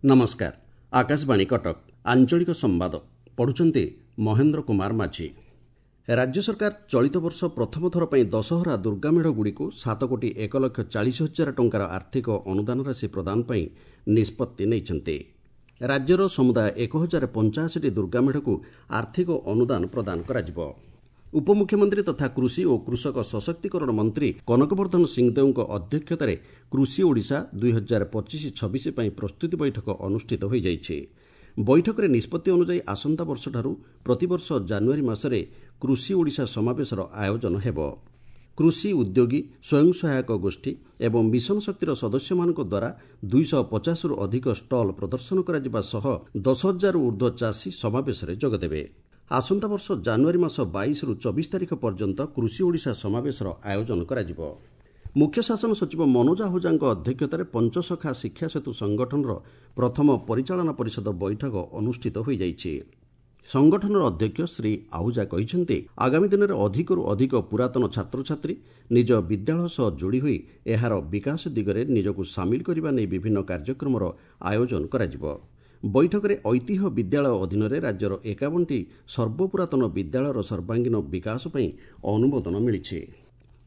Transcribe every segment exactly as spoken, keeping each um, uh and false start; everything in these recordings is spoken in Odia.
ନମସ୍କାର, ଆକାଶବାଣୀ କଟକ, ଆଞ୍ଚଳିକ ସମ୍ବାଦ ପଢୁଛନ୍ତି ମହେନ୍ଦ୍ର କୁମାର ମାଝୀ। ରାଜ୍ୟ ସରକାର ଚଳିତ ବର୍ଷ ପ୍ରଥମ ଥର ପାଇଁ ଦଶହରା ଦୁର୍ଗାମେଢ଼ଗୁଡ଼ିକୁ ସାତ କୋଟି ଏକ ଲକ୍ଷ ଚାଳିଶ ହଜାର ଟଙ୍କାର ଆର୍ଥିକ ଅନୁଦାନ ରାଶି ପ୍ରଦାନ ପାଇଁ ନିଷ୍ପତ୍ତି ନେଇଛନ୍ତି। ରାଜ୍ୟର ସମୁଦାୟ ଏକ ହଜାର ପଞ୍ଚାଅଶୀଟି ଦୁର୍ଗାମେଢ଼କୁ ଆର୍ଥିକ ଅନୁଦାନ ପ୍ରଦାନ କରାଯିବ। ଉପମୁଖ୍ୟମନ୍ତ୍ରୀ ତଥା କୃଷି ଓ କୃଷକ ସଶକ୍ତିକରଣ ମନ୍ତ୍ରୀ କନକବର୍ଦ୍ଧନ ସିଂଦେଓଙ୍କ ଅଧ୍ୟକ୍ଷତାରେ କୃଷି ଓଡ଼ିଶା ଦୁଇ ହଜାର ପଚିଶ ଛବିଶ ପାଇଁ ପ୍ରସ୍ତୁତି ବୈଠକ ଅନୁଷ୍ଠିତ ହୋଇଯାଇଛି। ବୈଠକରେ ନିଷ୍ପତ୍ତି ଅନୁଯାୟୀ ଆସନ୍ତା ବର୍ଷଠାରୁ ପ୍ରତିବର୍ଷ ଜାନୁଆରୀ ମାସରେ କୃଷି ଓଡ଼ିଶା ସମାବେଶର ଆୟୋଜନ ହେବ। କୃଷି ଉଦ୍ୟୋଗୀ, ସ୍ୱୟଂ ସହାୟକ ଗୋଷ୍ଠୀ ଏବଂ ମିଶନ ଶକ୍ତିର ସଦସ୍ୟମାନଙ୍କ ଦ୍ୱାରା ଦୁଇଶହ ପଚାଶରୁ ଅଧିକ ଷ୍ଟଲ୍ ପ୍ରଦର୍ଶନ କରାଯିବା ସହ ଦଶ ହଜାରରୁ ଉର୍ଦ୍ଧ୍ୱ ଚାଷୀ ସମାବେଶରେ ଯୋଗଦେବେ। ଆସନ୍ତା ବର୍ଷ ଜାନୁଆରୀ ମାସ ବାଇଶରୁ ଚବିଶ ତାରିଖ ପର୍ଯ୍ୟନ୍ତ କୃଷି ଓଡ଼ିଶା ସମାବେଶର ଆୟୋଜନ କରାଯିବ। ମୁଖ୍ୟ ଶାସନ ସଚିବ ମନୋଜ ଆହୁଜାଙ୍କ ଅଧ୍ୟକ୍ଷତାରେ ପଞ୍ଚସଖା ଶିକ୍ଷା ସେତୁ ସଂଗଠନର ପ୍ରଥମ ପରିଚାଳନା ପରିଷଦ ବୈଠକ ଅନୁଷ୍ଠିତ ହୋଇଯାଇଛି। ସଂଗଠନର ଅଧ୍ୟକ୍ଷ ଶ୍ରୀ ଆହୁଜା କହିଛନ୍ତି, ଆଗାମୀ ଦିନରେ ଅଧିକରୁ ଅଧିକ ପୁରାତନ ଛାତ୍ରଛାତ୍ରୀ ନିଜ ବିଦ୍ୟାଳୟ ସହ ଯୋଡ଼ି ହୋଇ ଏହାର ବିକାଶ ଦିଗରେ ନିଜକୁ ସାମିଲ କରିବା ନେଇ ବିଭିନ୍ନ କାର୍ଯ୍ୟକ୍ରମର ଆୟୋଜନ କରାଯିବ। ବୈଠକରେ ଐତିହ୍ୟ ବିଦ୍ୟାଳୟ ଅଧୀନରେ ରାଜ୍ୟର ଏକାବନଟି ସର୍ବପୁରାତନ ବିଦ୍ୟାଳୟର ସର୍ବାଙ୍ଗୀନ ବିକାଶ ପାଇଁ ଅନୁମୋଦନ ମିଳିଛି।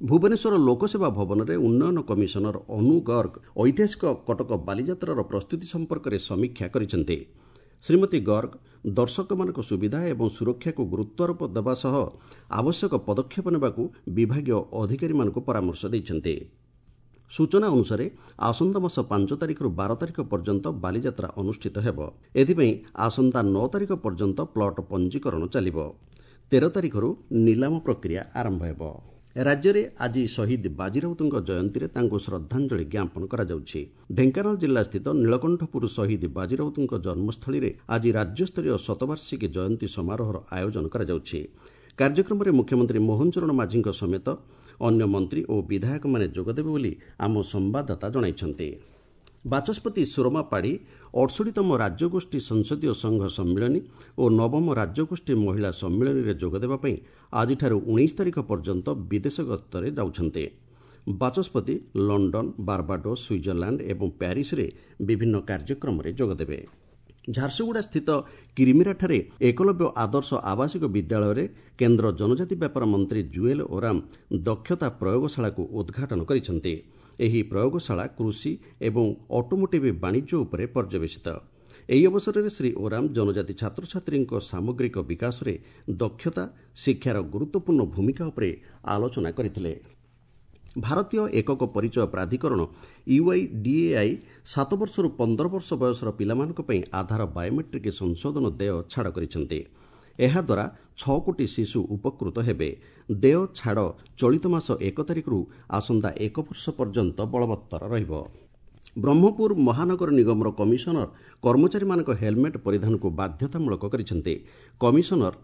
ଭୁବନେଶ୍ୱର ଲୋକସେବା ଭବନରେ ଉନ୍ନୟନ କମିଶନର ଅନୁ ଗର୍ଗ ଐତିହାସିକ କଟକ ବାଲିଯାତ୍ରାର ପ୍ରସ୍ତୁତି ସମ୍ପର୍କରେ ସମୀକ୍ଷା କରିଛନ୍ତି। ଶ୍ରୀମତୀ ଗର୍ଗ ଦର୍ଶକମାନଙ୍କ ସୁବିଧା ଏବଂ ସୁରକ୍ଷାକୁ ଗୁରୁତ୍ୱାରୋପ ଦେବା ସହ ଆବଶ୍ୟକ ପଦକ୍ଷେପ ନେବାକୁ ବିଭାଗୀୟ ଅଧିକାରୀମାନଙ୍କୁ ପରାମର୍ଶ ଦେଇଛନ୍ତି। ସୂଚନା ଅନୁସାରେ ଆସନ୍ତା ମାସ ପାଞ୍ଚ ତାରିଖରୁ ବାର ତାରିଖ ପର୍ଯ୍ୟନ୍ତ ବାଲିଯାତ୍ରା ଅନୁଷ୍ଠିତ ହେବ। ଏଥିପାଇଁ ଆସନ୍ତା ନଅ ତାରିଖ ପର୍ଯ୍ୟନ୍ତ ପ୍ଲଟ୍ ପଞ୍ଜୀକରଣ ଚାଲିବ। ତେର ତାରିଖରୁ ନିଲାମ ପ୍ରକ୍ରିୟା ଆରମ୍ଭ ହେବ। ରାଜ୍ୟରେ ଆଜି ଶହୀଦ ବାଜିରାଉତଙ୍କ ଜୟନ୍ତୀରେ ତାଙ୍କୁ ଶ୍ରଦ୍ଧାଞ୍ଜଳି ଜ୍ଞାପନ କରାଯାଉଛି। ଢେଙ୍କାନାଳ ଜିଲ୍ଲାସ୍ଥିତ ନୀଳକଣ୍ଠପୁର ଶହୀଦ ବାଜିରାଉତଙ୍କ ଜନ୍ମସ୍ଥଳୀରେ ଆଜି ରାଜ୍ୟସ୍ତରୀୟ ଶତବାର୍ଷିକୀ ଜୟନ୍ତୀ ସମାରୋହର ଆୟୋଜନ କରାଯାଉଛି। କାର୍ଯ୍ୟକ୍ରମରେ ମୁଖ୍ୟମନ୍ତ୍ରୀ ମୋହନ ଚରଣ ମାଝୀଙ୍କ ସମେତ ଅନ୍ୟ ମନ୍ତ୍ରୀ ଓ ବିଧାୟକମାନେ ଯୋଗଦେବେ ବୋଲି ଆମ ସମ୍ବାଦଦାତା ଜଣାଇଛନ୍ତି। ବାଚସ୍ପତି ସୁରମା ପାଢ଼ୀ ଅଠଷଠିତମ ରାଜ୍ୟଗୋଷ୍ଠୀ ସଂସଦୀୟ ସଂଘ ସମ୍ମିଳନୀ ଓ ନବମ ରାଜ୍ୟଗୋଷ୍ଠୀ ମହିଳା ସମ୍ମିଳନୀରେ ଯୋଗଦେବା ପାଇଁ ଆଜିଠାରୁ ଉଣେଇଶ ତାରିଖ ପର୍ଯ୍ୟନ୍ତ ବିଦେଶ ଗସ୍ତରେ ଯାଉଛନ୍ତି। ବାଚସ୍ପତି ଲଣ୍ଡନ, ବାର୍ବାଡୋସ୍, ସୁଇଜରଲ୍ୟାଣ୍ଡ ଏବଂ ପ୍ୟାରିସରେ ବିଭିନ୍ନ କାର୍ଯ୍ୟକ୍ରମରେ ଯୋଗଦେବେ। ଝାରସୁଗୁଡ଼ା ସ୍ଥିତ କିରିମିରାଠାରେ ଏକଲବ୍ୟ ଆଦର୍ଶ ଆବାସିକ ବିଦ୍ୟାଳୟରେ କେନ୍ଦ୍ର ଜନଜାତି ବ୍ୟାପାର ମନ୍ତ୍ରୀ ଜୁଏଲ ଓରାମ ଦକ୍ଷତା ପ୍ରୟୋଗଶାଳାକୁ ଉଦ୍ଘାଟନ କରିଛନ୍ତି। ଏହି ପ୍ରୟୋଗଶାଳା କୃଷି ଏବଂ ଅଟୋମୋଟିଭ୍ ବାଣିଜ୍ୟ ଉପରେ ପର୍ଯ୍ୟବେସିତ। ଏହି ଅବସରରେ ଶ୍ରୀ ଓରାମ ଜନଜାତି ଛାତ୍ରଛାତ୍ରୀଙ୍କ ସାମଗ୍ରିକ ବିକାଶରେ ଦକ୍ଷତା ଶିକ୍ଷାର ଗୁରୁତ୍ୱପୂର୍ଣ୍ଣ ଭୂମିକା ଉପରେ ଆଲୋଚନା କରିଥିଲେ। ଭାରତୀୟ ଏକକ ପରିଚୟ ପ୍ରାଧିକରଣ ୟୁଆଇଡିଏଆଇ ସାତ ବର୍ଷରୁ ପନ୍ଦର ବର୍ଷ ବୟସର ପିଲାମାନଙ୍କ ପାଇଁ ଆଧାର ବାୟୋମେଟ୍ରିକ୍ ସଂଶୋଧନ ଦେୟ ଛାଡ଼ କରିଛନ୍ତି। ଏହାଦ୍ୱାରା ଛଅ କୋଟି ଶିଶୁ ଉପକୃତ ହେବେ। ଦେୟ ଛାଡ଼ ଚଳିତ ମାସ ଏକ ତାରିଖରୁ ଆସନ୍ତା ଏକ ବର୍ଷ ପର୍ଯ୍ୟନ୍ତ ବଳବତ୍ତର ରହିବ। ବ୍ରହ୍ମପୁର ମହାନଗର ନିଗମର କମିଶନର କର୍ମଚାରୀମାନଙ୍କ ହେଲମେଟ୍ ପରିଧାନକୁ ବାଧ୍ୟତାମୂଳକ କରିଛନ୍ତି। କମିଶନର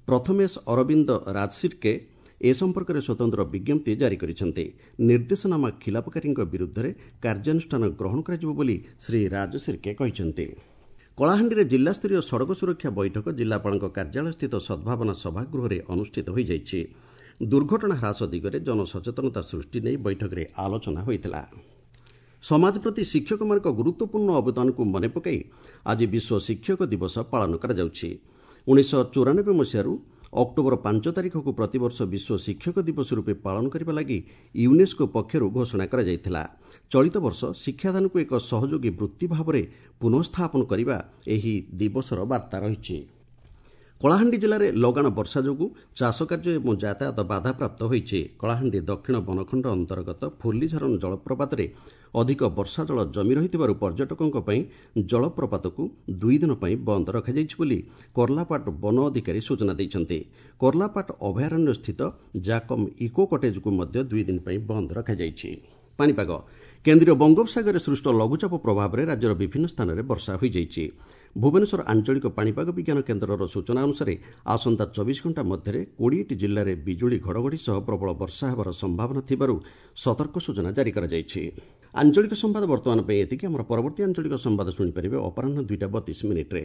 ପ୍ରଥମେଶ ଅରବିନ୍ଦ ରାଜସିର୍କେ ଏ ସମ୍ପର୍କରେ ସ୍ୱତନ୍ତ୍ର ବିଜ୍ଞପ୍ତି ଜାରି କରିଛନ୍ତି। ନିର୍ଦ୍ଦେଶନାମା ଖିଲାପକାରୀଙ୍କ ବିରୁଦ୍ଧରେ କାର୍ଯ୍ୟାନୁଷ୍ଠାନ ଗ୍ରହଣ କରାଯିବ ବୋଲି ଶ୍ରୀ ରାଜସିର୍କେ କହିଛନ୍ତି। କଳାହାଣ୍ଡିରେ ଜିଲ୍ଲାସ୍ତରୀୟ ସଡ଼କ ସୁରକ୍ଷା ବୈଠକ ଜିଲ୍ଲାପାଳଙ୍କ କାର୍ଯ୍ୟାଳୟସ୍ଥିତ ସଦ୍ଭାବନା ସଭାଗୃହରେ ଅନୁଷ୍ଠିତ ହୋଇଯାଇଛି। ଦୁର୍ଘଟଣା ହ୍ରାସ ଦିଗରେ ଜନସଚେତନତା ସୃଷ୍ଟି ନେଇ ବୈଠକରେ ଆଲୋଚନା ହୋଇଥିଲା। ସମାଜ ପ୍ରତି ଶିକ୍ଷକମାନଙ୍କ ଗୁରୁତ୍ୱପୂର୍ଣ୍ଣ ଅବଦାନକୁ ମନେ ପକାଇ ଆଜି ବିଶ୍ୱ ଶିକ୍ଷକ ଦିବସ ପାଳନ କରାଯାଉଛି। ଉଣେଇଶହ ଚଉରାନବେ ମସିହାରୁ ଅକ୍ଟୋବର ପାଞ୍ଚ ତାରିଖକୁ ପ୍ରତିବର୍ଷ ବିଶ୍ୱ ଶିକ୍ଷକ ଦିବସ ରୂପେ ପାଳନ କରିବା ଲାଗି ୟୁନେସ୍କୋ ପକ୍ଷରୁ ଘୋଷଣା କରାଯାଇଥିଲା। ଚଳିତ ବର୍ଷ ଶିକ୍ଷାଦାନକୁ ଏକ ସହଯୋଗୀ ବୃତ୍ତି ଭାବରେ ପୁନଃସ୍ଥାପନ କରିବା ଏହି ଦିବସର ବାର୍ତ୍ତା ରହିଛି। କଳାହାଣ୍ଡି ଜିଲ୍ଲାରେ ଲଗାଣ ବର୍ଷା ଯୋଗୁଁ ଚାଷ କାର୍ଯ୍ୟ ଏବଂ ଯାତାୟାତ ବାଧାପ୍ରାପ୍ତ ହୋଇଛି। କଳାହାଣ୍ଡି ଦକ୍ଷିଣ ବନଖଣ୍ଡ ଅନ୍ତର୍ଗତ ଫୁଲିଝରନ ଜଳପ୍ରପାତରେ ଅଧିକ ବର୍ଷା ଜଳ ଜମି ରହିଥିବାରୁ ପର୍ଯ୍ୟଟକଙ୍କ ପାଇଁ ଜଳପ୍ରପାତକୁ ଦୁଇ ଦିନ ପାଇଁ ବନ୍ଦ ରଖାଯାଇଛି ବୋଲି କର୍ଲାପାଟ ବନ ଅଧିକାରୀ ସୂଚନା ଦେଇଛନ୍ତି। କର୍ଲାପାଟ ଅଭୟାରଣ୍ୟ ସ୍ଥିତ ଜାକମ୍ ଇକୋ କଟେଜକୁ ମଧ୍ୟ ଦୁଇ ଦିନ ପାଇଁ ବନ୍ଦ ରଖାଯାଇଛି। ପାଣିପାଗ କେନ୍ଦ୍ରୀୟ ବଙ୍ଗୋପସାଗରରେ ସୃଷ୍ଟ ଲଘୁଚାପ ପ୍ରଭାବରେ ରାଜ୍ୟର ବିଭିନ୍ନ ସ୍ଥାନରେ ବର୍ଷା ହୋଇଯାଇଛି। ଭୁବନେଶ୍ୱର ଆଞ୍ଚଳିକ ପାଣିପାଗ ବିଜ୍ଞାନ କେନ୍ଦ୍ରର ସୂଚନା ଅନୁସାରେ ଆସନ୍ତା ଚବିଶ ଘଣ୍ଟା ମଧ୍ୟରେ କୋଡ଼ିଏଟି ଜିଲ୍ଲାରେ ବିଜୁଳି ଘଡ଼ଘଡ଼ି ସହ ପ୍ରବଳ ବର୍ଷା ହେବାର ସମ୍ଭାବନା ଥିବାରୁ ସତର୍କ ସୂଚନା ଜାରି କରାଯାଇଛି। ଆଞ୍ଚଳିକ ସମ୍ବାଦ ବର୍ତ୍ତମାନ ପାଇଁ ଏତିକି। ଆମର ପରବର୍ତ୍ତୀ ଆଞ୍ଚଳିକ ସମ୍ବାଦ ଶୁଣିପାରିବେ ଅପରାହ୍ନ ଦୁଇଟା ବତିଶ ମିନିଟ୍ରେ।